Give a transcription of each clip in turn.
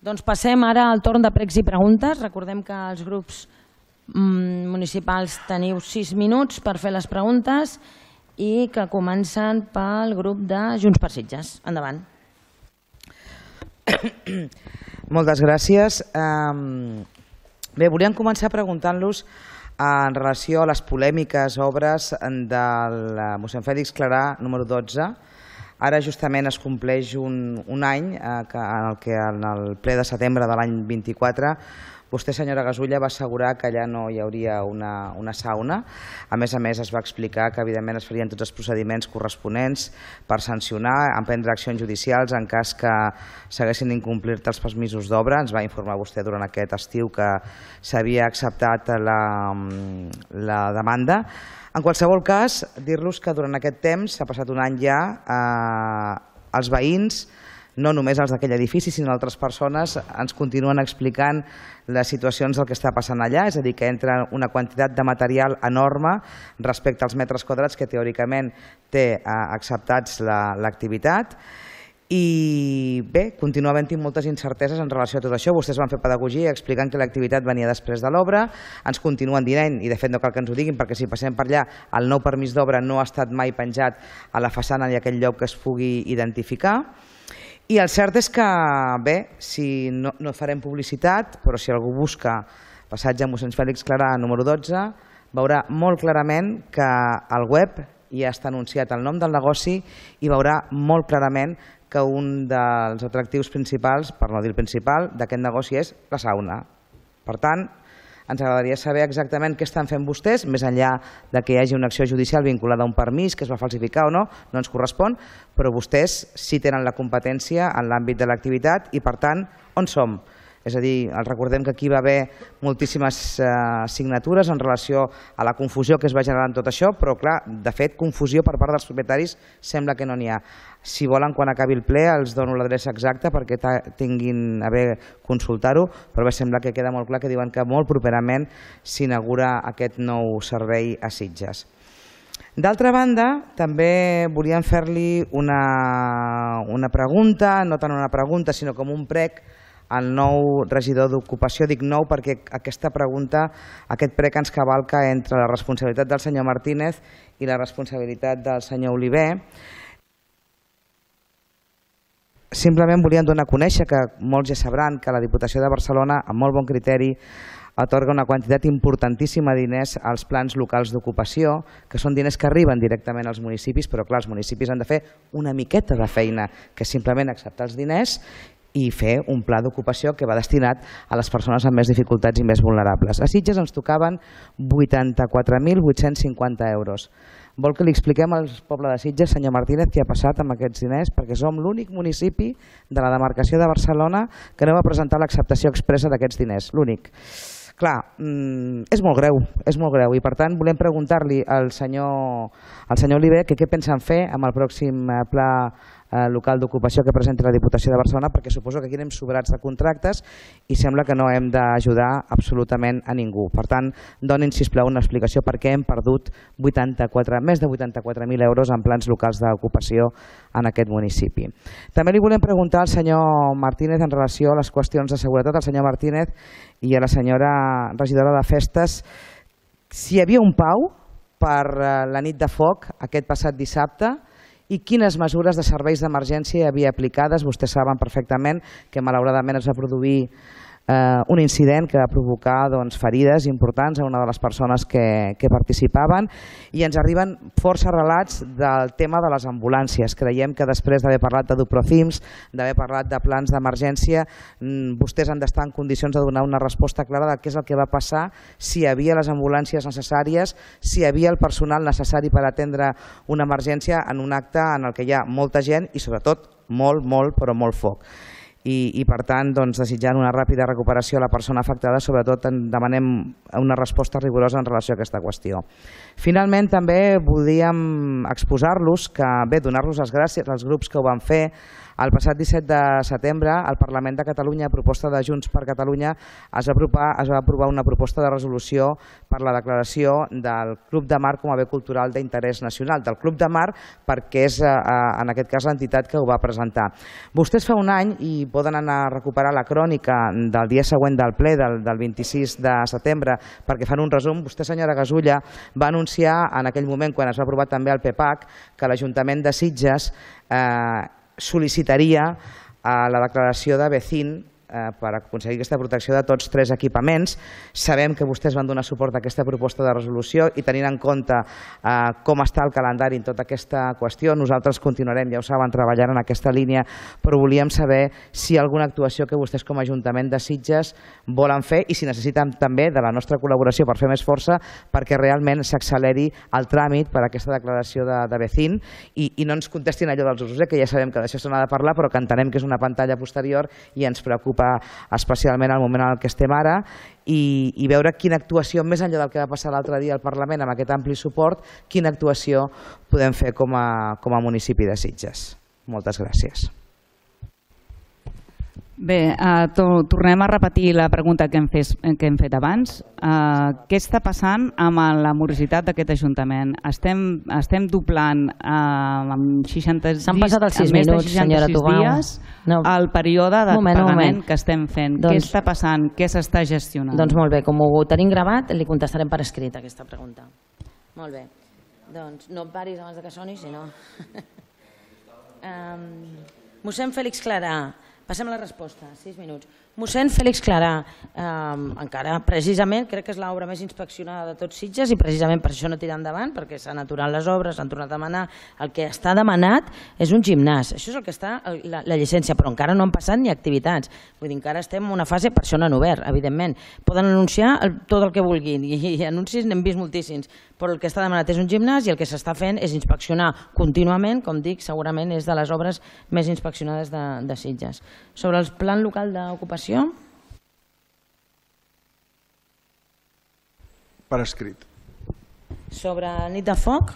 Doncs passem ara al torn de pregs i preguntes. Recordem que els grups municipals teniu 6 minuts per fer les preguntes i que comencen pel grup de Junts per Sitges. Endavant. Moltes gràcies. Bé, volíem començar preguntant-los en relació a les polèmiques obres del mossèn Fèlix Clarà número 12. Ara justament es compleix un any en el que en el ple de setembre de l'any 24 vostè, senyora Gasulla, va assegurar que allà no hi hauria una sauna. A més, es va explicar que evidentment es farien tots els procediments corresponents per sancionar, emprendre accions judicials en cas que s'haguessin d'incomplir els permisos d'obra. Ens va informar vostè durant aquest estiu que s'havia acceptat la demanda. En qualsevol cas, dir-los que durant aquest temps, s'ha passat un any ja, els veïns, no només els d'aquell edifici, sinó altres persones, ens continuen explicant les situacions del que està passant allà, és a dir, que entra una quantitat de material enorme respecte als metres quadrats que teòricament té acceptats l'activitat. I bé, continua havent-hi moltes incerteses en relació a tot això. Vostès van fer pedagogia explicant que l'activitat venia després de l'obra, ens continuen dient, i de fet no cal que ens ho diguin perquè si passem per allà el nou permís d'obra no ha estat mai penjat a la façana ni a aquell lloc que es pugui identificar. I el cert és que, bé, si no farem publicitat, però si algú busca passatge mossèn Fèlix Clarà número 12, veurà molt clarament que al web ja està anunciat el nom del negoci i veurà molt clarament que un dels atractius principals, per no dir el principal, d'aquest negoci és la sauna. Per tant, ens agradaria saber exactament què estan fent vostès, més enllà que hi hagi una acció judicial vinculada a un permís que es va falsificar o no, no ens correspon, però vostès sí tenen la competència en l'àmbit de l'activitat i, per tant, on som? És a dir, recordem que aquí va haver moltíssimes signatures en relació a la confusió que es va generar en tot això, però clar, de fet, confusió per part dels propietaris sembla que no n'hi ha. Si volen, quan acabi el ple, els dono l'adreça exacta perquè tinguin a bé consultar-ho, però bé, sembla que queda molt clar que diuen que molt properament s'inaugura aquest nou servei a Sitges. D'altra banda, també volíem fer-li una pregunta, no tant una pregunta, sinó com un prec al nou regidor d'Ocupació. Dic nou perquè aquesta pregunta, aquest prec ens cavalca entre la responsabilitat del senyor Martínez i la responsabilitat del senyor Oliver. Simplement volíem donar a conèixer, que molts ja sabran, que la Diputació de Barcelona, amb molt bon criteri, atorga una quantitat importantíssima de diners als plans locals d'ocupació, que són diners que arriben directament als municipis, però clar, els municipis han de fer una miqueta de feina, que és simplement acceptar els diners i fer un pla d'ocupació que va destinat a les persones amb més dificultats i més vulnerables. A Sitges ens tocaven 84.850 euros. Vol que li expliquem al poble de Sitges, senyor Martínez, què ha passat amb aquests diners? Perquè som l'únic municipi de la demarcació de Barcelona que no va presentar l'acceptació expressa d'aquests diners, l'únic. Clar, és molt greu i per tant volem preguntar-li al senyor Oliver què pensen fer amb el pròxim pla local d'ocupació que presenti la Diputació de Barcelona, perquè suposo que aquí anem sobrats de contractes i sembla que no hem d'ajudar absolutament a ningú. Per tant, donin, sisplau, una explicació per què hem perdut més de 84.000 euros en plans locals d'ocupació en aquest municipi. També li volem preguntar al senyor Martínez en relació a les qüestions de seguretat, al senyor Martínez i a la senyora regidora de Festes, si hi havia un pau per la nit de foc aquest passat dissabte i quines mesures de serveis d'emergència hi havia aplicades. Vostès saben perfectament que malauradament es va produir un incident que va provocar ferides importants a una de les persones que participaven i ens arriben força relats del tema de les ambulàncies. Creiem que després d'haver parlat de Duprocims, d'haver parlat de plans d'emergència, vostès han d'estar en condicions de donar una resposta clara de què és el que va passar, si hi havia les ambulàncies necessàries, si hi havia el personal necessari per atendre una emergència en un acte en el que hi ha molta gent i sobretot molt foc. I per tant, desitjant una ràpida recuperació a la persona afectada, sobretot demanem una resposta rigorosa en relació a aquesta qüestió. Finalment, també volíem exposar-los, donar-los les gràcies als grups que ho van fer El passat 17 de setembre, al Parlament de Catalunya, a proposta de Junts per Catalunya, es va aprovar una proposta de resolució per la declaració del Club de Mar com a bé cultural d'interès nacional. Del Club de Mar perquè és, en aquest cas, l'entitat que ho va presentar. Vostès fa un any, i poden anar a recuperar la crònica del dia següent del ple, del 26 de setembre, perquè fan un resum. Vostè, senyora Gasulla, va anunciar en aquell moment, quan es va aprovar també el PPAC, que l'Ajuntament de Sitges sol·licitaria la declaració de BECIN per aconseguir aquesta protecció de tots tres equipaments. Sabem que vostès van donar suport a aquesta proposta de resolució i tenint en compte com està el calendari en tota aquesta qüestió, nosaltres continuarem, ja ho saben, treballant en aquesta línia, però volíem saber si hi ha alguna actuació que vostès com a Ajuntament de Sitges volen fer i si necessiten també de la nostra col·laboració per fer més força perquè realment s'acceleri el tràmit per a aquesta declaració de BECIN i no ens contestin allò dels usos, que ja sabem que d'això se n'ha de parlar, però que entenem que és una pantalla posterior i ens preocupa especialment el moment en el que estem ara i veure quina actuació, més enllà del que va passar l'altre dia al Parlament amb aquest ampli suport, quina actuació podem fer com a municipi de Sitges. Moltes gràcies. Bé, tornem a repetir la pregunta que hem fet abans. Què està passant amb la morositat d'aquest Ajuntament? Estem doblant amb 60 S'han passat els 6 minuts, senyora Tubau. Dies el període de pagament que estem fent. Què està passant? Què s'està gestionant? Doncs molt bé, com ho tenim gravat, li contestarem per escrit aquesta pregunta. Molt bé. Doncs no et paris abans que soni, si no... Mossèn Fèlix Clarà. Passem a la resposta, 6 minuts. Mossèn Fèlix Clarà, encara precisament crec que és l'obra més inspeccionada de tots Sitges i precisament per això no tira endavant, perquè s'han aturat les obres, s'han tornat a demanar. El que està demanat és un gimnàs, això és el que està la llicència, però encara no han passat ni activitats. Vull dir, encara estem en una fase, per això no han obert, evidentment. Poden anunciar tot el que vulguin i anuncis n'hem vist moltíssims, però el que està demanat és un gimnàs i el que s'està fent és inspeccionar contínuament, com dic, segurament és de les obres més inspeccionades de Sitges. Sobre el plan local d'ocupació, per escrit. Sobre nit de foc?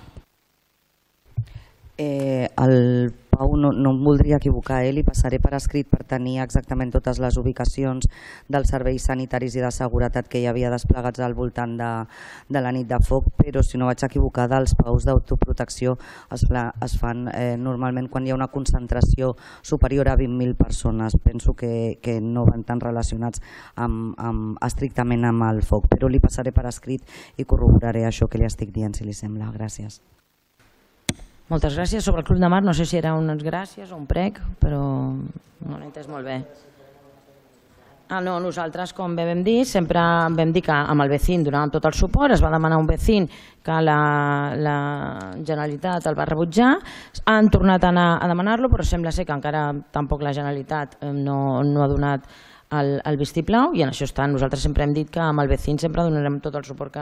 El Pau no em voldria equivocar, li passaré per escrit per tenir exactament totes les ubicacions dels serveis sanitaris i de seguretat que hi havia desplegats al voltant de la nit de foc, però si no vaig equivocar, els paus d'autoprotecció es fan normalment quan hi ha una concentració superior a 20.000 persones. Penso que no van tan relacionats estrictament amb el foc, però li passaré per escrit i corroboraré això que li estic dient, si li sembla. Gràcies. Moltes gràcies. Sobre el Club de Mar, no sé si era unes gràcies o un prec, però no l'he entès molt bé. No, nosaltres, com bé vam dir, sempre vam dir que amb el BECIN donàvem tot el suport, es va demanar un BECIN que la Generalitat el va rebutjar, han tornat a anar a demanar-lo, però sembla ser que encara tampoc la Generalitat no ha donat el vistiplau i en això està. Nosaltres sempre hem dit que amb el BECIN sempre donarem tot el suport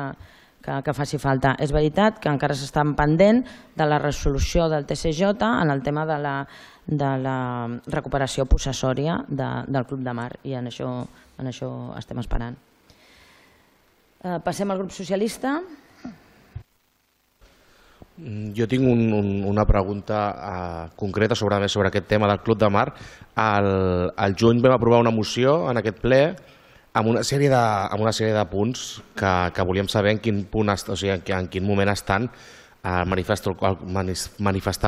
que faci falta. És veritat que encara s'estan pendent de la resolució del TCJ en el tema de la recuperació possessòria del Club de Mar i en això estem esperant. Passem al grup socialista. Jo tinc una pregunta concreta sobre aquest tema del Club de Mar. Al juny vam aprovar una moció en aquest ple amb una sèrie de punts que volíem saber en quin moment estan, manifestar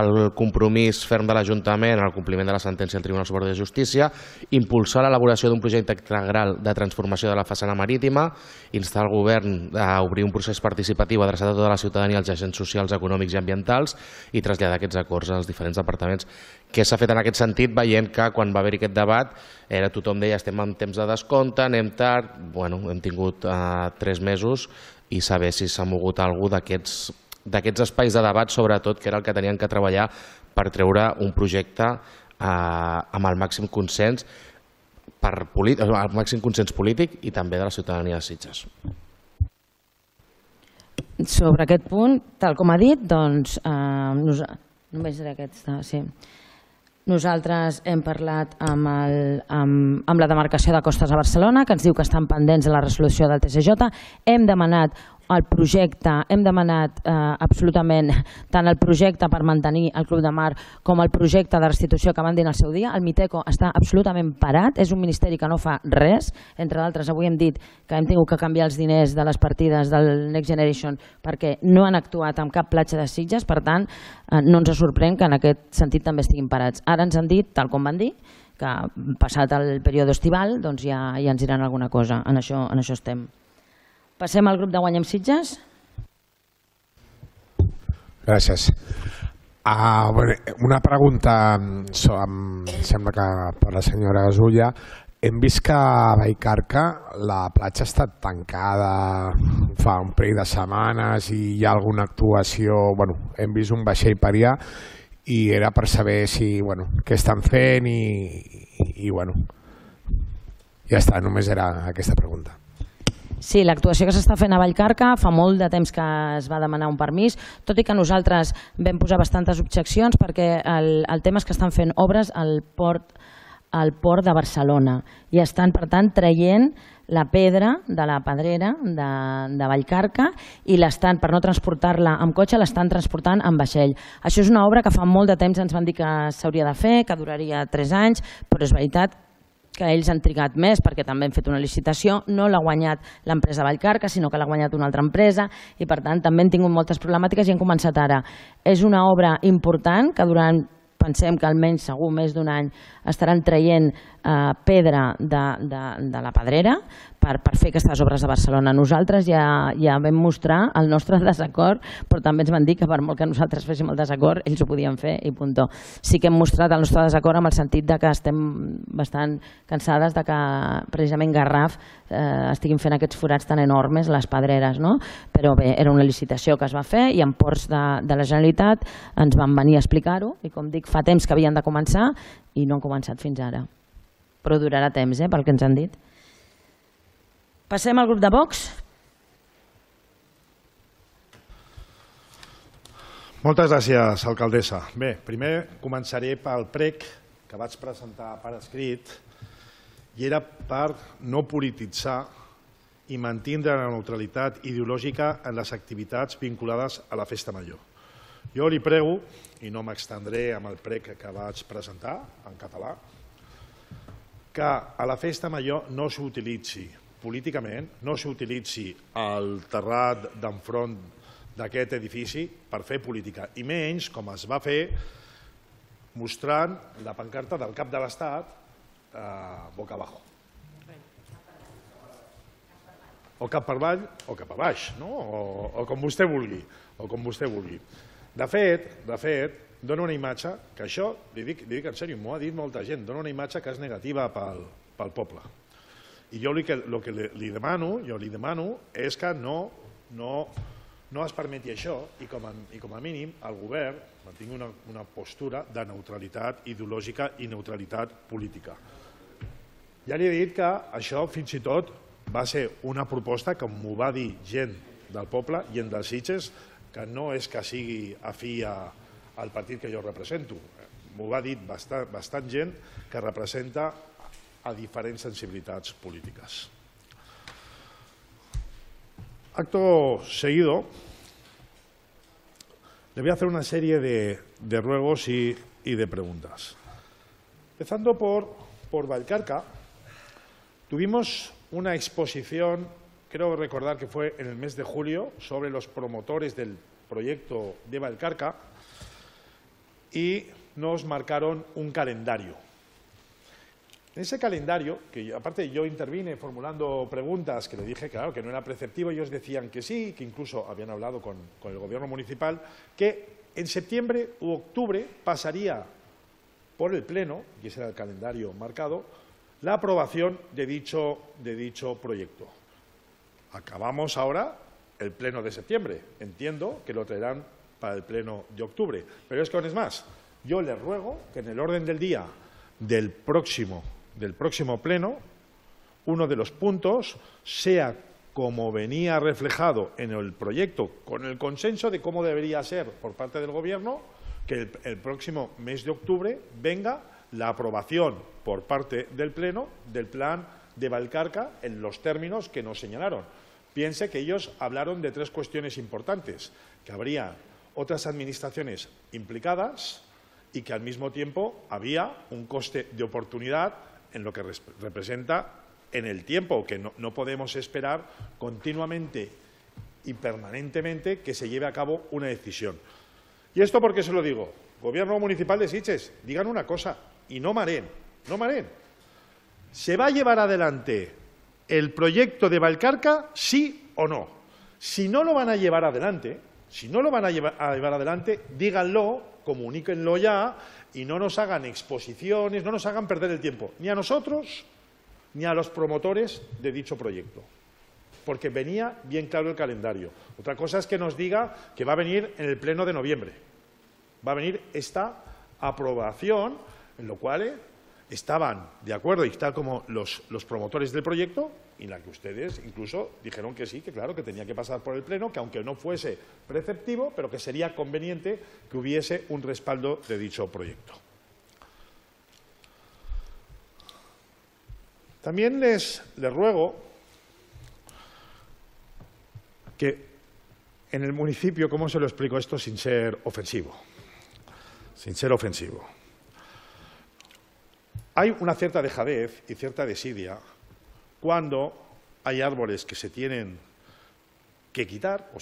el compromís ferm de l'Ajuntament en el compliment de la sentència del Tribunal Superior de Justícia, impulsar l'elaboració d'un projecte integral de transformació de la façana marítima, instar el govern a obrir un procés participatiu adreçat a tota la ciutadania, als agents socials, econòmics i ambientals i traslladar aquests acords als diferents departaments. Què s'ha fet en aquest sentit, veient que quan va haver-hi aquest debat tothom deia estem en temps de descompte, anem tard, hem tingut 3 mesos i saber si s'ha mogut alguna cosa d'aquests espais de debat, sobretot, que era el que tenien que treballar per treure un projecte amb el màxim consens polític i també de la ciutadania de Sitges. Sobre aquest punt, tal com ha dit, doncs, només era aquest, sí. Nosaltres hem parlat amb la demarcació de Costes a Barcelona, que ens diu que estan pendents de la resolució del TCJ. Hem demanat el projecte, hem demanat absolutament tant el projecte per mantenir el Club de Mar com el projecte de restitució que van dir en el seu dia. El Miteco està absolutament parat, és un ministeri que no fa res. Entre d'altres, avui hem dit que hem tingut que canviar els diners de les partides del Next Generation perquè no han actuat amb cap platja de Sitges, per tant, no ens sorprèn que en aquest sentit també estiguin parats. Ara ens han dit, tal com van dir, que passat el període estival doncs ja ens diran alguna cosa. En això estem. Passem al grup de Guanyem Sitges. Gràcies. Una pregunta, em sembla que per la senyora Gasulla. Hem vist que a Vallcarca la platja ha estat tancada fa un parell de setmanes i hi ha alguna actuació, hem vist un vaixell per allà i era per saber què estan fent i ja està, només era aquesta pregunta. Sí, l'actuació que s'està fent a Vallcarca fa molt de temps que es va demanar un permís, tot i que nosaltres vam posar bastantes objeccions perquè el tema és que estan fent obres al port de Barcelona i estan, per tant, traient la pedra de la pedrera de Vallcarca i l'estan, per no transportar-la amb cotxe, l'estan transportant amb vaixell. Això és una obra que fa molt de temps ens van dir que s'hauria de fer, que duraria 3 anys, però és veritat que ells han trigat més perquè també han fet una licitació, no l'ha guanyat l'empresa Vallcarca, sinó que l'ha guanyat una altra empresa i per tant també han tingut moltes problemàtiques i han començat ara. És una obra important que durant, pensem que almenys segur més d'un any estaran traient pedra de la pedrera per fer aquestes obres de Barcelona. Nosaltres ja vam mostrar el nostre desacord, però també ens van dir que per molt que nosaltres féssim el desacord, ells ho podien fer i puntó. Sí que hem mostrat el nostre desacord amb el sentit de que estem bastant cansades de que precisament Garraf estiguin fent aquests forats tan enormes, les pedreres, no? Però bé, era una licitació que es va fer i en ports de la Generalitat ens van venir a explicar-ho i com dic, fa temps que havien de començar i no han començat fins ara. Però durarà temps, pel que ens han dit. Passem al grup de Vox. Moltes gràcies, alcaldessa. Bé, primer començaré pel prec que vaig presentar per escrit i era per no polititzar i mantindre la neutralitat ideològica en les activitats vinculades a la Festa Major. Jo li prego, i no m'extendré amb el prec que vaig presentar en català, que a la Festa Major no s'utilitzi políticament, no s'utilitzi el terrat d'enfront d'aquest edifici per fer política, i menys com es va fer mostrant la pancarta del cap de l'Estat boca abajo. O cap per avall o cap a baix, o com vostè vulgui. De fet, dona una imatge que això, li dic en sèrio, m'ho ha dit molta gent, dona una imatge que és negativa pel poble. I jo el que li demano és que no es permeti això i com a mínim el govern mantingui una postura de neutralitat ideològica i neutralitat política. Ja li he dit que això fins i tot va ser una proposta que m'ho va dir gent del poble, gent dels Sitges, que no és que sigui afí al partit que jo represento. M'ho va dir bastant gent que representa a diferents sensibilitats polítiques. Acto seguido, le voy a hacer una serie de ruegos y de preguntas. Empezando por Vallcarca, tuvimos una exposición, creo recordar que fue en el mes de julio, sobre los promotores del proyecto de Vallcarca y nos marcaron un calendario. En ese calendario, que aparte yo intervine formulando preguntas que le dije claro, que no era preceptivo, ellos decían que sí, que incluso habían hablado con el gobierno municipal, que en septiembre u octubre pasaría por el Pleno, y ese era el calendario marcado, la aprobación de dicho proyecto. Acabamos ahora el Pleno de septiembre. Entiendo que lo traerán para el Pleno de octubre. Pero es que aún es más. Yo les ruego que en el orden del día del próximo Pleno, uno de los puntos sea como venía reflejado en el proyecto, con el consenso de cómo debería ser por parte del Gobierno, que el próximo mes de octubre venga la aprobación por parte del Pleno del plan de Vallcarca en los términos que nos señalaron. Piense que ellos hablaron de 3 cuestiones importantes, que habría otras administraciones implicadas y que al mismo tiempo había un coste de oportunidad en lo que representa en el tiempo, que no podemos esperar continuamente y permanentemente que se lleve a cabo una decisión. ¿Y esto por qué se lo digo? Gobierno Municipal de Sitges, digan una cosa y no mareen, no mareen. ¿Se va a llevar adelante el proyecto de Vallcarca, sí o no? Si no lo van a llevar adelante, díganlo, comuníquenlo ya y no nos hagan exposiciones, no nos hagan perder el tiempo, ni a nosotros ni a los promotores de dicho proyecto, porque venía bien claro el calendario. Otra cosa es que nos diga que va a venir en el pleno de noviembre, va a venir esta aprobación, en lo cual estaban de acuerdo, y tal como los promotores del proyecto, y la que ustedes incluso dijeron que sí, que claro, que tenía que pasar por el pleno, que aunque no fuese preceptivo, pero que sería conveniente que hubiese un respaldo de dicho proyecto. También les ruego que en el municipio, ¿cómo se lo explico esto sin ser ofensivo? Sin ser ofensivo. Hay una cierta dejadez y cierta desidia cuando hay árboles que se tienen que quitar o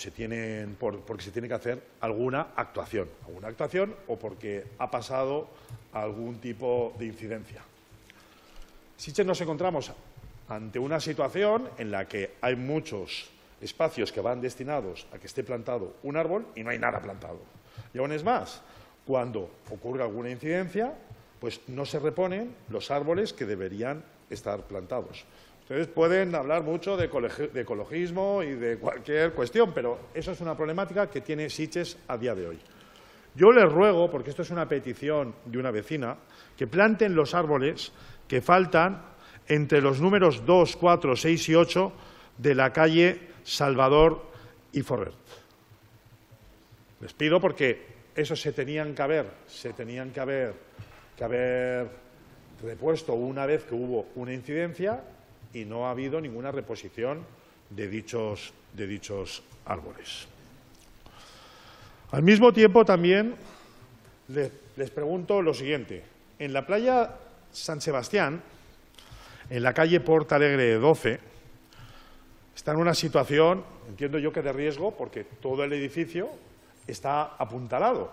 porque se tiene que hacer alguna actuación o porque ha pasado algún tipo de incidencia. Sitges nos encontramos ante una situación en la que hay muchos espacios que van destinados a que esté plantado un árbol y no hay nada plantado. Y aún es más, cuando ocurre alguna incidencia, pues no se reponen los árboles que deberían estar plantados. Ustedes pueden hablar mucho de ecologismo y de cualquier cuestión, pero eso es una problemática que tiene Sitges a día de hoy. Yo les ruego, porque esto es una petición de una vecina, que planten los árboles que faltan entre los números 2, 4, 6 y 8 de la calle Salvador y Forret. Les pido porque esos se tenían que haber repuesto una vez que hubo una incidencia y no ha habido ninguna reposición de dichos árboles. Al mismo tiempo también les pregunto lo siguiente. En la playa San Sebastián, en la calle Porta Alegre 12, está en una situación, entiendo yo que de riesgo, porque todo el edificio está apuntalado.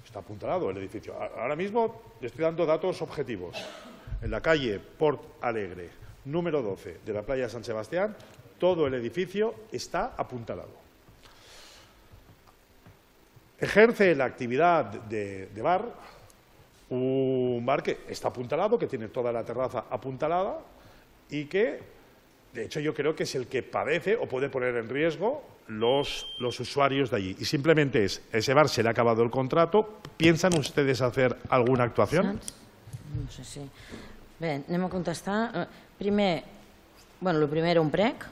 Está apuntalado el edificio. Ahora mismo le estoy dando datos objetivos. En la calle Port Alegre, número 12 de la playa San Sebastián, todo el edificio está apuntalado. Ejerce la actividad de bar, un bar que está apuntalado, que tiene toda la terraza apuntalada y que, de hecho, yo creo que es el que padece o puede poner en riesgo los usuarios de allí. Y simplemente ese bar se le ha acabado el contrato. ¿Piensan ustedes hacer alguna actuación? No sé si... Bé, anem a contestar. Primer, el primer un prec.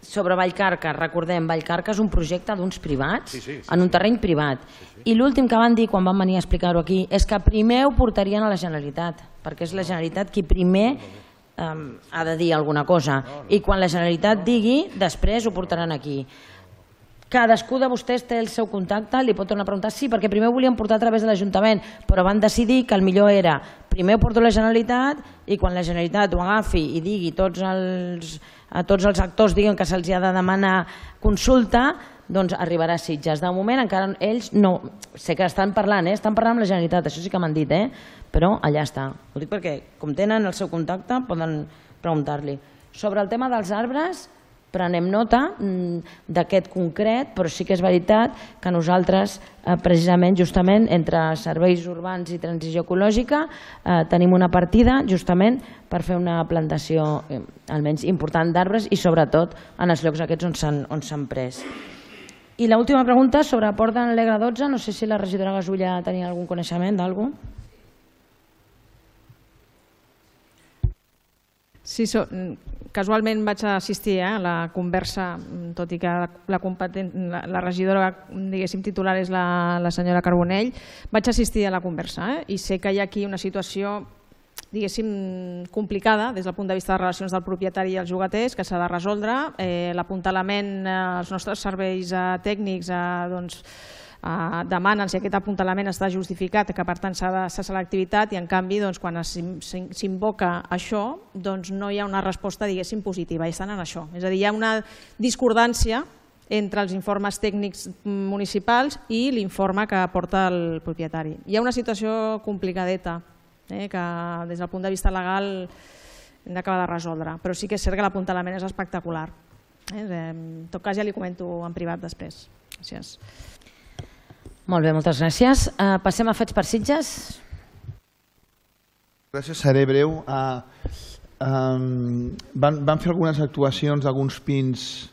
Sobre Vallcarca, recordem, Vallcarca és un projecte d'uns privats, en un terreny privat. I l'últim que van dir quan van venir a explicar-ho aquí és que primer ho portarien a la Generalitat, perquè és la Generalitat qui primer ha de dir alguna cosa. I quan la Generalitat digui, després ho portaran aquí. Cadascú de vostès té el seu contacte, li pot tornar a preguntar, sí, perquè primer ho volien portar a través de l'Ajuntament, però van decidir que el millor era primer ho porto a la Generalitat i quan la Generalitat ho agafi i digui a tots els actors diguen que se'ls ha de demanar consulta, doncs arribarà a Sitges. De moment encara ells no... Sé que estan parlant, estan parlant amb la Generalitat, això sí que m'han dit, però allà està. Ho dic perquè, com tenen el seu contacte, poden preguntar-li. Sobre el tema dels arbres, prenem nota d'aquest concret, però sí que és veritat que nosaltres, precisament, justament, entre serveis urbans i transició ecològica, tenim una partida justament per fer una plantació almenys important d'arbres i sobretot en els llocs aquests on s'han pres. I l'última pregunta sobre Port d'Alegre 12, no sé si la regidora Gasulla tenia algun coneixement d'algú. Sí, casualment vaig assistir a la conversa, tot i que la regidora titular és la senyora Carbonell, vaig assistir a la conversa i sé que hi ha aquí una situació diguéssim, complicada des del punt de vista de relacions del propietari i els llogaters, que s'ha de resoldre. L'apuntalament, els nostres serveis tècnics demanen si aquest apuntalament està justificat, que per tant s'ha de cessar l'activitat, i en canvi quan s'invoca això no hi ha una resposta, diguéssim, positiva, i estan en això. És a dir, hi ha una discordància entre els informes tècnics municipals i l'informe que aporta el propietari. Hi ha una situació complicadeta que des del punt de vista legal hem d'acabar de resoldre, però sí que és cert que l'apuntalament és espectacular. En tot cas ja li comento en privat després. Gràcies. Molt bé, moltes gràcies. Passem a fets per Sitges. Gràcies, seré breu. Van fer algunes actuacions d'alguns pins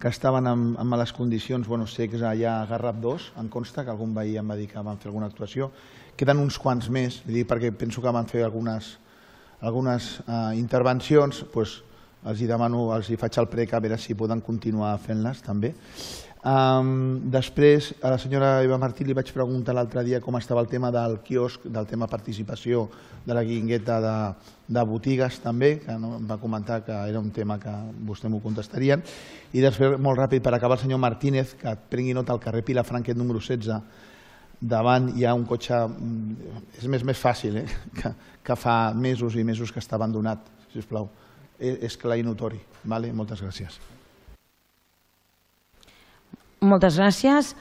que estaven en males condicions, secs allà a Garraf 2, em consta que algun veí em va dir que van fer alguna actuació. Queden uns quants més, perquè penso que van fer algunes intervencions, els demano, els faig el prec a veure si poden continuar fent-les també. Després, a la senyora Eva Martí li vaig preguntar l'altre dia com estava el tema del quiosc, del tema participació de la guingueta de botigues també, que em va comentar que era un tema que vostè m'ho contestarien. I després, molt ràpid, per acabar, el senyor Martínez, que prengui nota al carrer Vilafranquet número 16, davant hi ha un cotxe, és més fàcil, que fa mesos i mesos que està abandonat, sisplau. És clar i notori. Moltes gràcies. Moltes gràcies.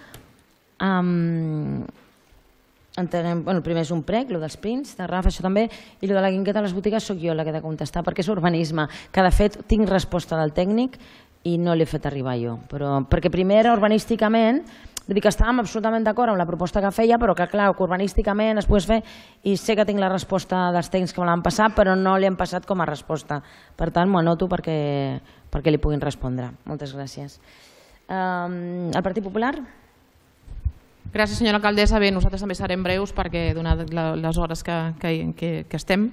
Entenem, el primer és un prec, el dels pins, de Rafa, això també, i el de la guingueta a les botigues soc jo la que he de contestar, perquè és urbanisme, que de fet tinc resposta del tècnic i no l'he fet arribar jo. Perquè primer era urbanísticament, vull dir que estàvem absolutament d'acord amb la proposta que feia, però que clar, que urbanísticament es pogués fer, i sé que tinc la resposta dels tècnics que me l'han passat, però no li han passat com a resposta. Per tant, m'ho anoto perquè li puguin respondre. Moltes gràcies. El Partit Popular? Gràcies, senyora alcaldessa. Bé, nosaltres també serem breus perquè, donat les hores que estem,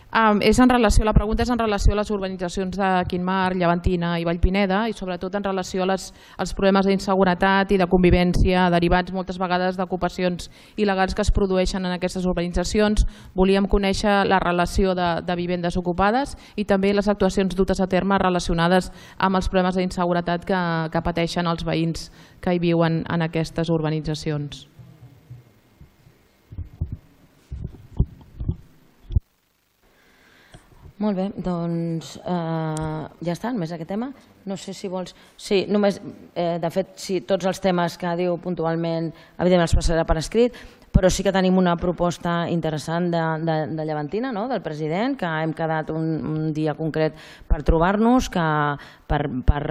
la pregunta és en relació a les urbanitzacions de Quinmar, Llevantina i Vallpineda, i sobretot en relació als problemes d'inseguretat i de convivència derivats moltes vegades d'ocupacions il·legals que es produeixen en aquestes urbanitzacions. Volíem conèixer la relació de vivendes ocupades i també les actuacions dutes a terme relacionades amb els problemes d'inseguretat que pateixen els veïns que hi viuen en aquestes urbanitzacions. Molt bé, doncs ja està, només aquest tema. No sé si vols... Sí, només, de fet, tots els temes que diu puntualment, evidentment els passarà per escrit, però sí que tenim una proposta interessant de Llevantina, del president, que hem quedat un dia concret per trobar-nos, per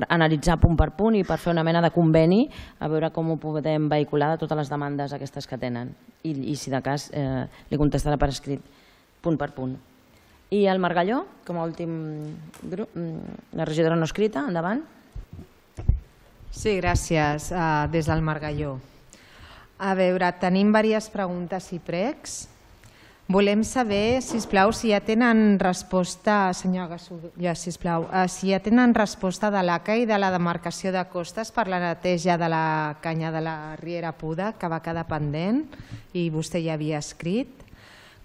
analitzar punt per punt i per fer una mena de conveni, a veure com ho podem vehicular de totes les demandes aquestes que tenen. I si de cas li contestarà per escrit, punt per punt. I el Margalló, com a últim grup, la regidora no escrita, endavant. Sí, gràcies. Des del Margalló. A veure, tenim diverses preguntes i pregs. Volem saber, sisplau, si ja tenen resposta, senyora Gasulla, sisplau, si ja tenen resposta de l'ACA i de la demarcació de costes per la neteja de la canya de la Riera Puda, que va quedar pendent i vostè ja havia escrit.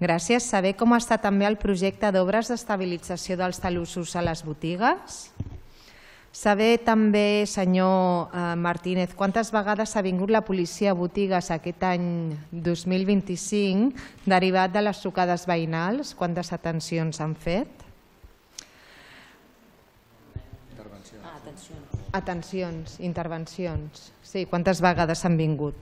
Gràcies. Saber com està també el projecte d'obres d'estabilització dels talussos a les botigues. Saber també, senyor Martínez, quantes vegades ha vingut la policia a botigues aquest any 2025 derivat de les trucades veïnals, quantes atencions han fet? Atencions, intervencions. Sí, quantes vegades han vingut?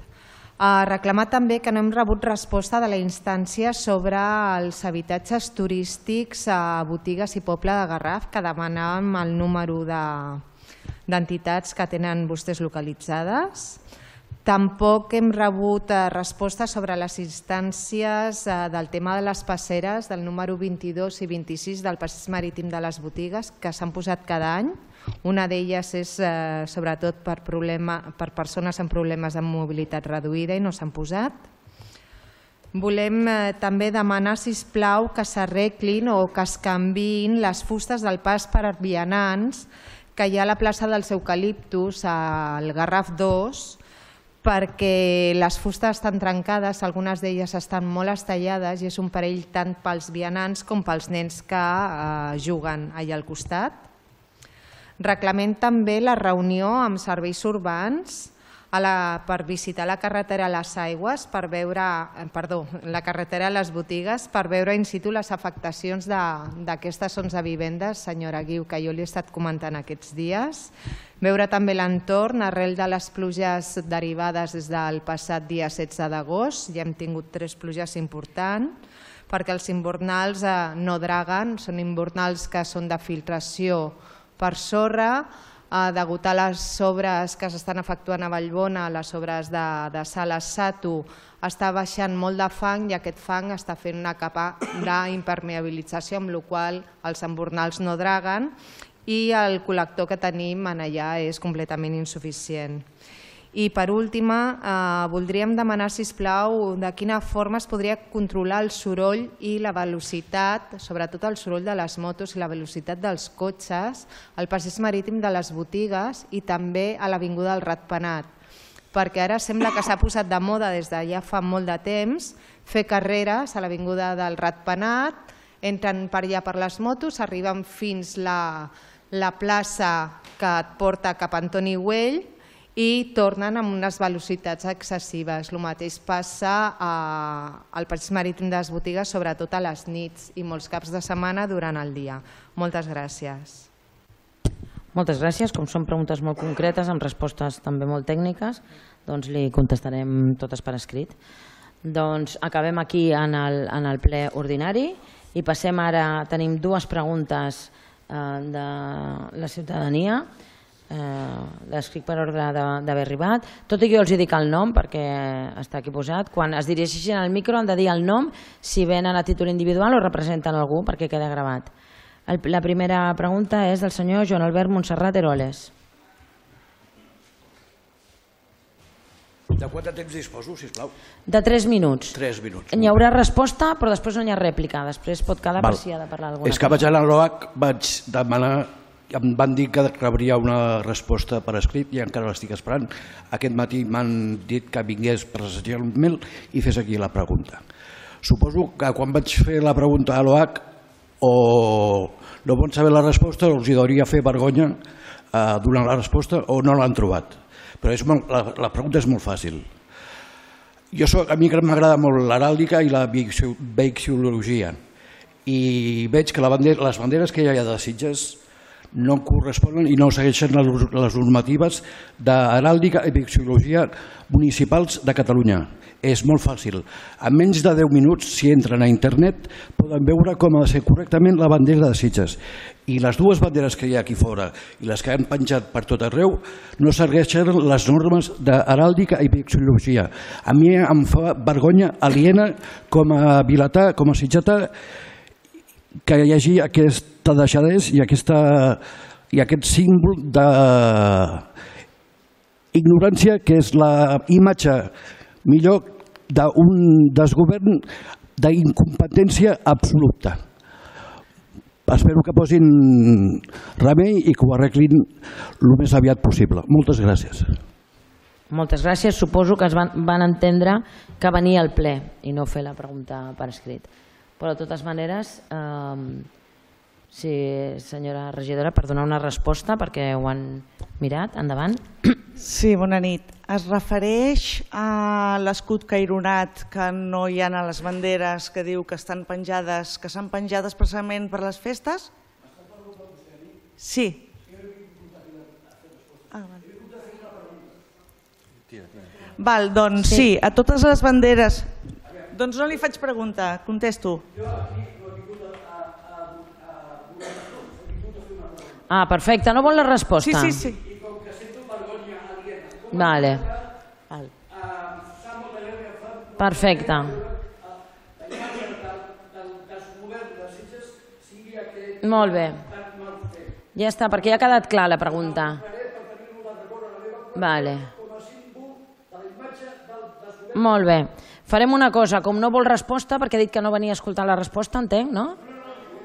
Reclamar també que no hem rebut resposta de la instància sobre els habitatges turístics a botigues i poble de Garraf, que demanàvem el número d'entitats que tenen vostès localitzades. Tampoc hem rebut resposta sobre les instàncies del tema de les passeres, del número 22 i 26 del passeig marítim de les botigues, que s'han posat cada any. Una d'elles és sobretot per persones amb problemes de mobilitat reduïda i no s'han posat. Volem també demanar, sisplau, que s'arreglin o que es canviïn les fustes del pas per a vianants que hi ha a la plaça dels Eucaliptus, al Garraf 2, perquè les fustes estan trencades, algunes d'elles estan molt estellades i és un perill tant pels vianants com pels nens que juguen allà al costat. Reclamem també la reunió amb serveis urbans per visitar la carretera a les aigües, la carretera a les botigues, per veure in situ les afectacions d'aquestes 11 vivendes, senyora Guiu, que jo li he estat comentant aquests dies. Veure també l'entorn arrel de les pluges derivades des del passat dia 16 d'agost. Ja hem tingut 3 pluges importants, perquè els invernals no draguen, són invernals que són de filtració per sorra, degut a les obres que s'estan efectuant a Vallbona, les obres de Sales Sato, està baixant molt de fang i aquest fang està fent una capa d'impermeabilització, amb la qual cosa els embornals no draguen i el col·lector que tenim allà és completament insuficient. I per últim, voldríem demanar, sisplau, de quina forma es podria controlar el soroll i la velocitat, sobretot el soroll de les motos i la velocitat dels cotxes, al passeig marítim de les botigues i també a l'avinguda del Ratpenat, perquè ara sembla que s'ha posat de moda des de ja fa molt de temps fer carreres a l'avinguda del Ratpenat, entren per allà per les motos, arriben fins la plaça que et porta cap a Antoni Güell i tornen amb unes velocitats excessives. El mateix passa al passeig marítim de les botigues, sobretot a les nits i molts caps de setmana durant el dia. Moltes gràcies. Moltes gràcies. Com són preguntes molt concretes, amb respostes també molt tècniques, doncs li contestarem totes per escrit. Doncs acabem aquí en el ple ordinari i passem ara, tenim 2 preguntes de la ciutadania, l'escric per ordre d'haver arribat. Tot i que jo els dic el nom perquè està aquí posat, quan es dirigeixin al micro han de dir el nom si venen a títol individual o representen algú perquè queda gravat. La primera pregunta és del senyor Joan Albert Montserrat Eroles. De quant de temps disposo, sisplau? De 3 minuts. 3 minuts. Hi haurà resposta, però després no hi ha rèplica. Després pot quedar per si ha de parlar alguna cosa. És que vaig a l'OAC, vaig demanar, em van dir que rebria una resposta per escrit i encara l'estic esperant. Aquest matí m'han dit que vingués presencialment i fes aquí la pregunta. Suposo que quan vaig fer la pregunta a l'OAC o no van saber la resposta, els hauria fer vergonya donar la resposta o no l'han trobat. Però la pregunta és molt fàcil. A mi m'agrada molt l'heràldica i la vexil·lologia i veig que les banderes que hi ha de Sitges no corresponen i no segueixen les normatives d'heràldica i vexil·lologia municipals de Catalunya. És molt fàcil. En menys de 10 minuts, si entren a internet, poden veure com ha de ser correctament la bandera de Sitges. I les 2 banderes que hi ha aquí fora i les que han penjat per tot arreu no segueixen les normes d'heràldica i vexil·lologia. A mi em fa vergonya aliena com a vilatà, com a sitgetà, que hi hagi aquesta deixadesa i aquest símbol d'ignorància que és la imatge millor d'un desgovern d'incompetència absoluta. Espero que posin remei i que ho arreglin el més aviat possible. Moltes gràcies. Moltes gràcies. Suposo que es van entendre que venia al ple i no fer la pregunta per escrit. Però de totes maneres, sí, senyora regidora, per donar una resposta perquè ho han mirat. Endavant. Sí, bona nit. Es refereix a l'escut caironat que no hi ha a les banderes, que diu que estan penjades, que s'han penjades precisament per les festes? Sí. Val, doncs sí, a totes les banderes. Doncs no li faig pregunta, contesto. Ah, perfecte, no vol la resposta? Sí, sí, sí. Vale. Perfecte. Molt bé. Ja està, perquè ja ha quedat clar la pregunta. Vale. Molt bé. Farem una cosa, com no vol resposta, perquè ha dit que no venia a escoltar la resposta, entenc, no?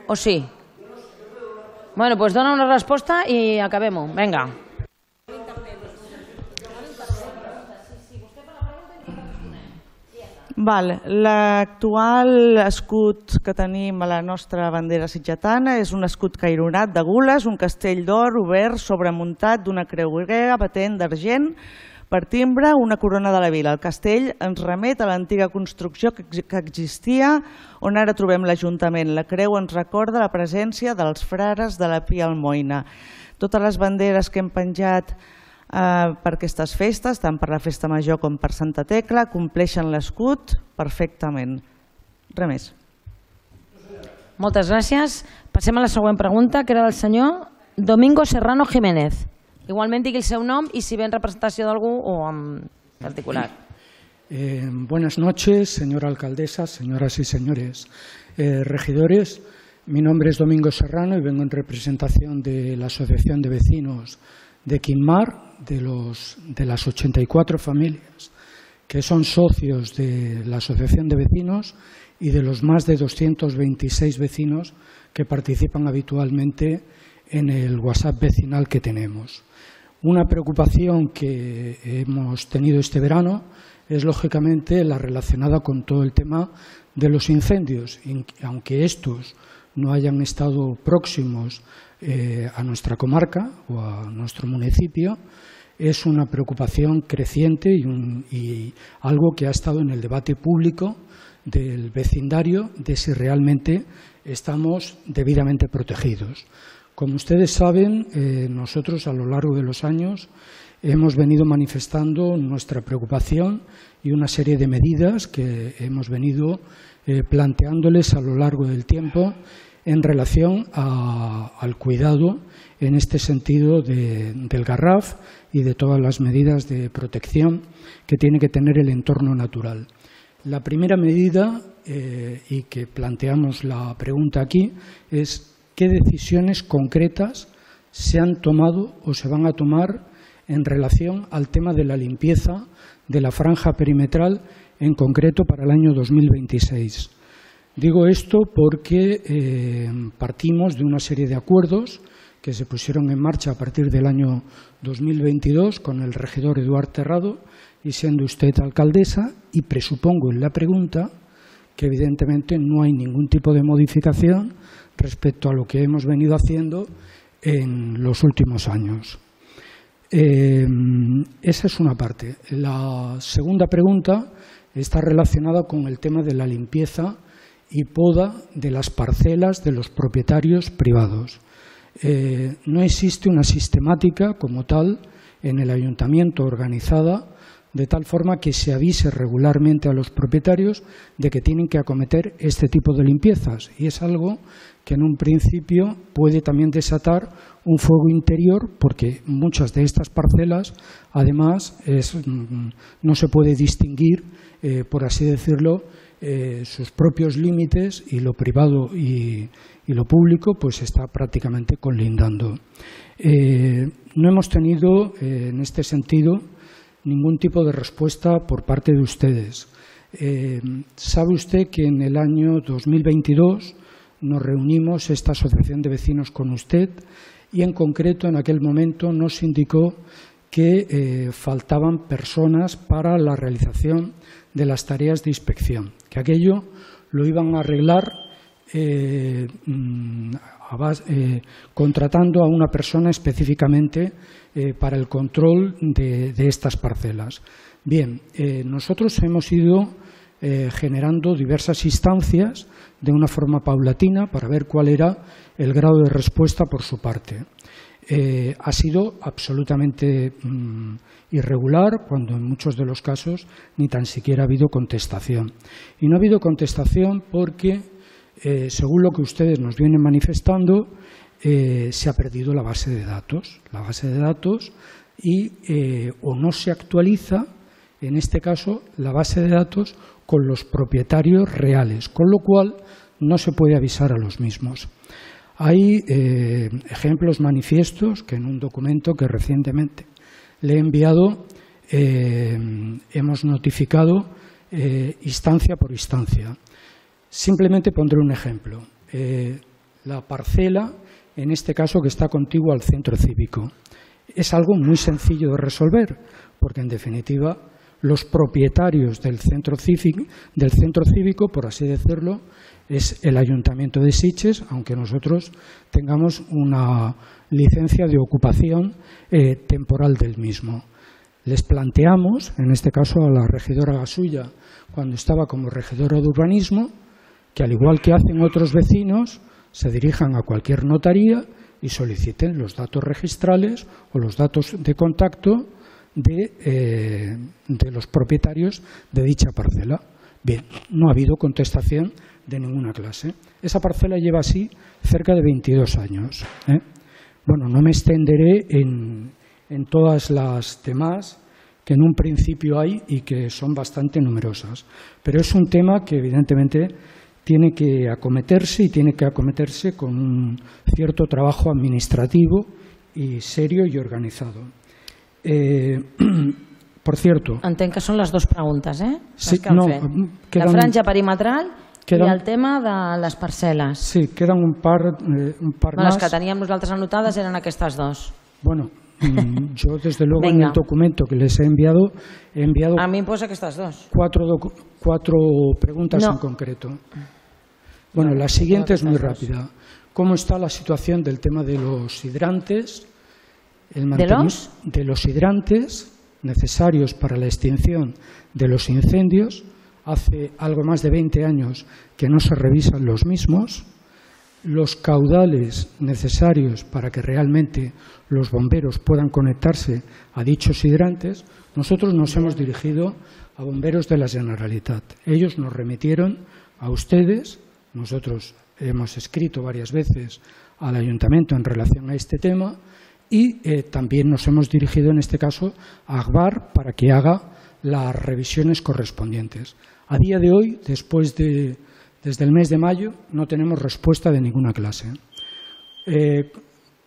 O sí? Bueno, doncs dona una resposta i acabem-ho. Vinga. L'actual escut que tenim a la nostra bandera sitgetana és un escut caironat de gules, un castell d'or obert sobremuntat d'una creu grega patent d'argent per timbre, una corona de la vila. El castell ens remet a l'antiga construcció que existia on ara trobem l'Ajuntament. La creu ens recorda la presència dels frares de la Pia Almoina. Totes les banderes que hem penjat per aquestes festes, tant per la Festa Major com per Santa Tecla, compleixen l'escut perfectament. Res més. Moltes gràcies. Passem a la següent pregunta, que era del senyor Domingo Serrano Jiménez. Igualment digui el seu nom y si ve en representació d'algú o en particular. Buenas noches, señora alcaldesa, señoras y señores regidores. Mi nombre es Domingo Serrano y vengo en representación de la Asociación de Vecinos de Quinmar, de las 84 familias que son socios de la Asociación de Vecinos y de los más de 226 vecinos que participan habitualmente en el WhatsApp vecinal que tenemos. Una preocupación que hemos tenido este verano es lógicamente la relacionada con todo el tema de los incendios, aunque estos no hayan estado próximos a nuestra comarca o a nuestro municipio. Es una preocupación creciente y algo que ha estado en el debate público del vecindario de si realmente estamos debidamente protegidos. Como ustedes saben, nosotros a lo largo de los años hemos venido manifestando nuestra preocupación y una serie de medidas que hemos venido planteándoles a lo largo del tiempo en relación al cuidado en este sentido del Garraf y de todas las medidas de protección que tiene que tener el entorno natural. La primera medida, y que planteamos la pregunta aquí, es qué decisiones concretas se han tomado o se van a tomar en relación al tema de la limpieza de la franja perimetral, en concreto para el año 2026. Digo esto porque partimos de una serie de acuerdos que se pusieron en marcha a partir del año 2022 con el regidor Eduard Terrado y siendo usted alcaldesa, y presupongo en la pregunta que evidentemente no hay ningún tipo de modificación respecto a lo que hemos venido haciendo en los últimos años. Esa es una parte. La segunda pregunta está relacionada con el tema de la limpieza y poda de las parcelas de los propietarios privados. No existe una sistemática como tal en el ayuntamiento organizada de tal forma que se avise regularmente a los propietarios de que tienen que acometer este tipo de limpiezas, y es algo que en un principio puede también desatar un fuego interior, porque muchas de estas parcelas además no se puede distinguir, por así decirlo, sus propios límites, y lo privado y lo público pues está prácticamente colindando. No hemos tenido en este sentido ningún tipo de respuesta por parte de ustedes. ¿Sabe usted que en el año 2022 nos reunimos esta asociación de vecinos con usted y en concreto en aquel momento nos indicó que faltaban personas para la realización de las tareas de inspección, que aquello lo iban a arreglar contratando a una persona específicamente para el control de estas parcelas. Bien, nosotros hemos ido generando diversas instancias de una forma paulatina para ver cuál era el grado de respuesta por su parte. Ha sido absolutamente irregular, cuando en muchos de los casos ni tan siquiera ha habido contestación. Y no ha habido contestación porque, según lo que ustedes nos vienen manifestando, se ha perdido la base de datos. La base de datos y o no se actualiza, en este caso, la base de datos con los propietarios reales, con lo cual no se puede avisar a los mismos. Hay ejemplos manifiestos que en un documento que recientemente le he enviado hemos notificado instancia por instancia. Simplemente pondré un ejemplo. La parcela, en este caso, que está contigua al centro cívico. Es algo muy sencillo de resolver, porque en definitiva los propietarios del centro cívico, por así decirlo, es el Ayuntamiento de Sitges, aunque nosotros tengamos una licencia de ocupación temporal del mismo. Les planteamos, en este caso a la regidora Gasulla, cuando estaba como regidora de urbanismo, que al igual que hacen otros vecinos, se dirijan a cualquier notaría y soliciten los datos registrales o los datos de contacto de los propietarios de dicha parcela. Bien, no ha habido contestación de ninguna clase. Esa parcela lleva así cerca de 22 años. Bueno, no me extenderé en todas las demás que en un principio hay y que son bastante numerosas, pero es un tema que evidentemente tiene que acometerse y tiene que acometerse con un cierto trabajo administrativo y serio y organizado. Por cierto... Entenc que són les dues preguntes, Sí, que han no, fet. queden, la franja perimetral i queden, el tema de les parcel·les. Sí, queden un par Les más. que teníem nosaltres anotades eren aquestes dos. Bueno, yo desde luego en el documento que les he enviado a mí em posa aquestes dos. cuatro preguntas en concreto. Bueno, la siguiente es muy rápida. ¿Cómo está la situación del tema de los hidrantes? De los hidrantes necesarios para la extinción de los incendios. Hace algo más de 20 años que no se revisan los mismos. Los caudales necesarios para que realmente los bomberos puedan conectarse a dichos hidrantes. Nosotros nos hemos dirigido a bomberos de la Generalitat. Ellos nos remitieron a ustedes. Nosotros hemos escrito varias veces al Ayuntamiento en relación a este tema y también nos hemos dirigido en este caso a Agbar para que haga las revisiones correspondientes. A día de hoy, desde el mes de mayo, no tenemos respuesta de ninguna clase.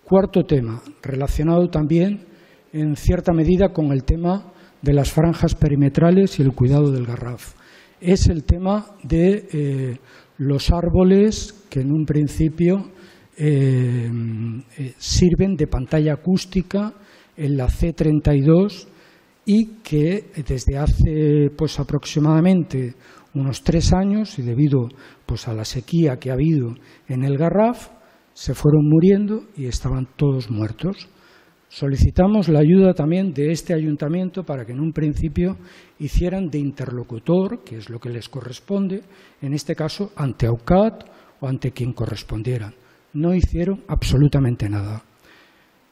Cuarto tema, relacionado también en cierta medida con el tema de las franjas perimetrales y el cuidado del Garraf. Es el tema de los árboles que en un principio sirven de pantalla acústica en la C32 y que desde hace aproximadamente unos 3 años y debido a la sequía que ha habido en el Garraf se fueron muriendo y estaban todos muertos. Solicitamos la ayuda también de este ayuntamiento para que en un principio hicieran de interlocutor, que es lo que les corresponde, en este caso ante AUCAT o ante quien correspondiera. No hicieron absolutamente nada.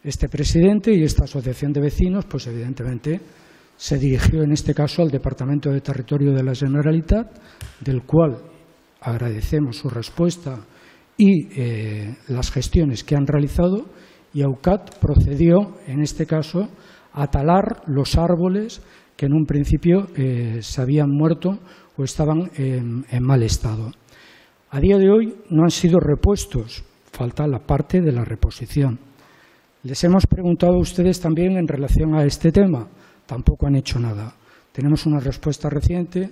Este presidente y esta asociación de vecinos, pues evidentemente se dirigió en este caso al Departamento de Territorio de la Generalitat, del cual agradecemos su respuesta y las gestiones que han realizado, y AUCAT procedió en este caso a talar los árboles que en un principio se habían muerto o estaban en mal estado. A día de hoy no han sido repuestos, falta la parte de la reposición. Les hemos preguntado a ustedes también en relación a este tema, tampoco han hecho nada. Tenemos una respuesta reciente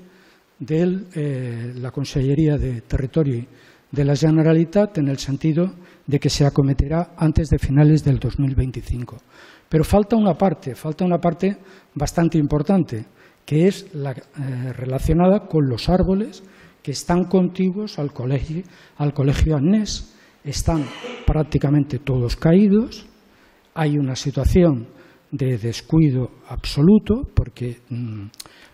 de la Consellería de Territorio de la Generalitat en el sentido de que se acometerá antes de finales del 2025. Pero falta una parte bastante importante, que es la relacionada con los árboles que están contiguos al colegio Agnés. Están prácticamente todos caídos, hay una situación de descuido absoluto porque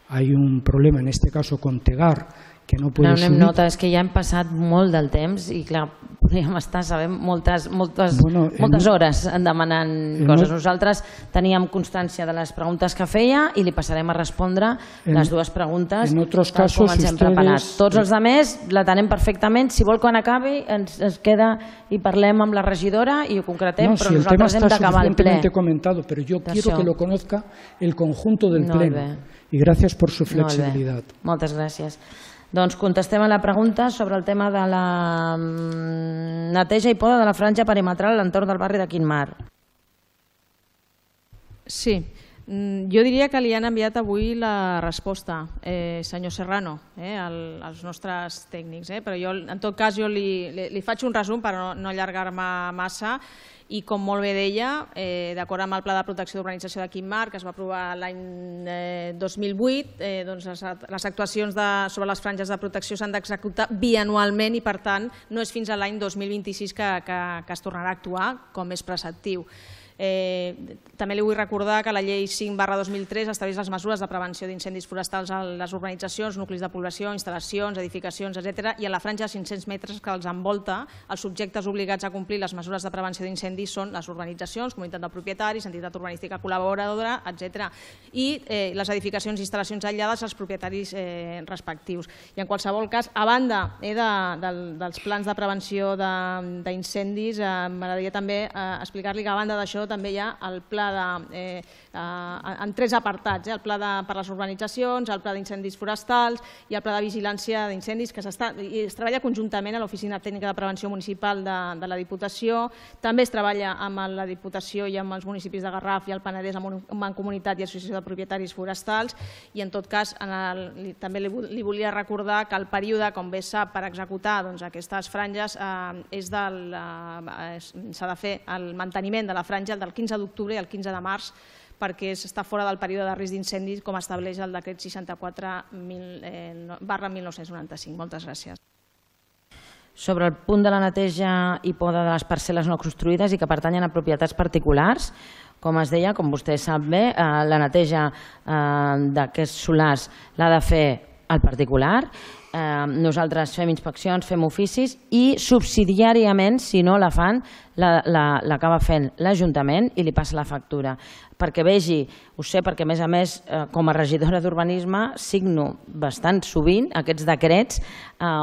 hay un problema en este caso con Tegar que no puede subir. Nota, és que ja hem passat molt del temps i clar, podríem estar sabent moltes hores demanant coses. Nosaltres teníem constància de les preguntes que feia i li passarem a respondre les dues preguntes tal com ens hem preparat. Tots els altres la tenem perfectament. Si vol quan acabi ens queda i parlem amb la regidora i ho concretem, però nosaltres hem d'acabar el ple. Comentado, pero yo quiero que lo conozca el conjunto del pleno. Y gracias por su flexibilidad. Moltes gràcies. Doncs contestem a la pregunta sobre el tema de la neteja i poda de la franja perimetral a l'entorn del barri de Quintmar. Sí, jo diria que li han enviat avui la resposta, senyor Serrano, als nostres tècnics, però jo en tot cas li faig un resum per no allargar-me massa I com molt bé deia, d'acord amb el Pla de Protecció d'Urbanització de Quim-Mar, que es va aprovar l'any 2008, les actuacions sobre les franges de protecció s'han d'executar bianualment i, per tant, no és fins a l'any 2026 que es tornarà a actuar, com és preceptiu. També li vull recordar que la Llei 5/2003 estableix les mesures de prevenció d'incendis forestals a les urbanitzacions, nuclis de població, instal·lacions, edificacions, etc. I a la franja de 500 metres que els envolta, els subjectes obligats a complir les mesures de prevenció d'incendis són les urbanitzacions, comunitat de propietaris, entitat urbanística col·laboradora, etc. I les edificacions i instal·lacions aïllades als propietaris respectius. I en qualsevol cas, a banda dels plans de prevenció d'incendis, m'agradaria també explicar-li que a banda d'això també hi ha el pla en 3 apartats, el pla per les urbanitzacions, el pla d'incendis forestals i el pla de vigilància d'incendis, que es treballa conjuntament a l'Oficina Tècnica de Prevenció Municipal de la Diputació. També es treballa amb la Diputació i amb els municipis de Garraf i el Penedès, amb Mancomunitat i Associació de Propietaris Forestals. I en tot cas, també li volia recordar que el període, com bé sap, per executar aquestes franges s'ha de fer el manteniment de la franja del 15 d'octubre i el 15 de març, perquè està fora del període de risc d'incendis, com estableix el decret 64/1995. Moltes gràcies. Sobre el punt de la neteja i poda de les parcel·les no construïdes i que pertanyen a propietats particulars, com es deia, com vostè sap bé, la neteja d'aquests solars l'ha de fer el particular. Nosaltres fem inspeccions, fem oficis i subsidiàriament, si no la fan, l'acaba fent l'Ajuntament i li passa la factura. Perquè vegi, ho sé perquè a més, com a regidora d'urbanisme signo bastant sovint aquests decrets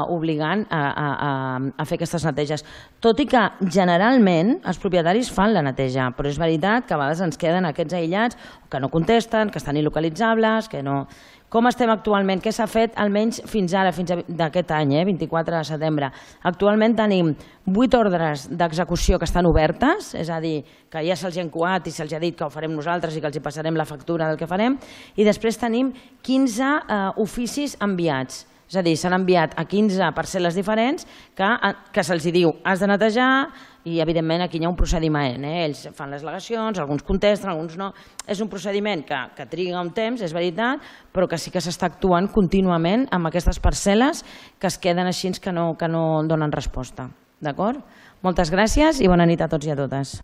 obligant a fer aquestes neteges. Tot i que generalment els propietaris fan la neteja, però és veritat que a vegades ens queden aquests aïllats que no contesten, que estan il·localitzables, que no... Com estem actualment? Què s'ha fet almenys fins ara, fins d'aquest any, 24 de setembre? Actualment tenim 8 ordres d'execució que estan obertes, és a dir, que ja se'ls ha encoat i se'ls ha dit que ho farem nosaltres i que els hi passarem la factura del que farem, i després tenim 15 oficis enviats. És a dir, s'han enviat a 15 parcel·les diferents que se'ls diu has de netejar i, evidentment, aquí hi ha un procediment. Ells fan les al·legacions, alguns contesten, alguns no. És un procediment que triga un temps, és veritat, però que sí que s'està actuant contínuament amb aquestes parcel·les que es queden així que no donen resposta. D'acord? Moltes gràcies i bona nit a tots i a totes.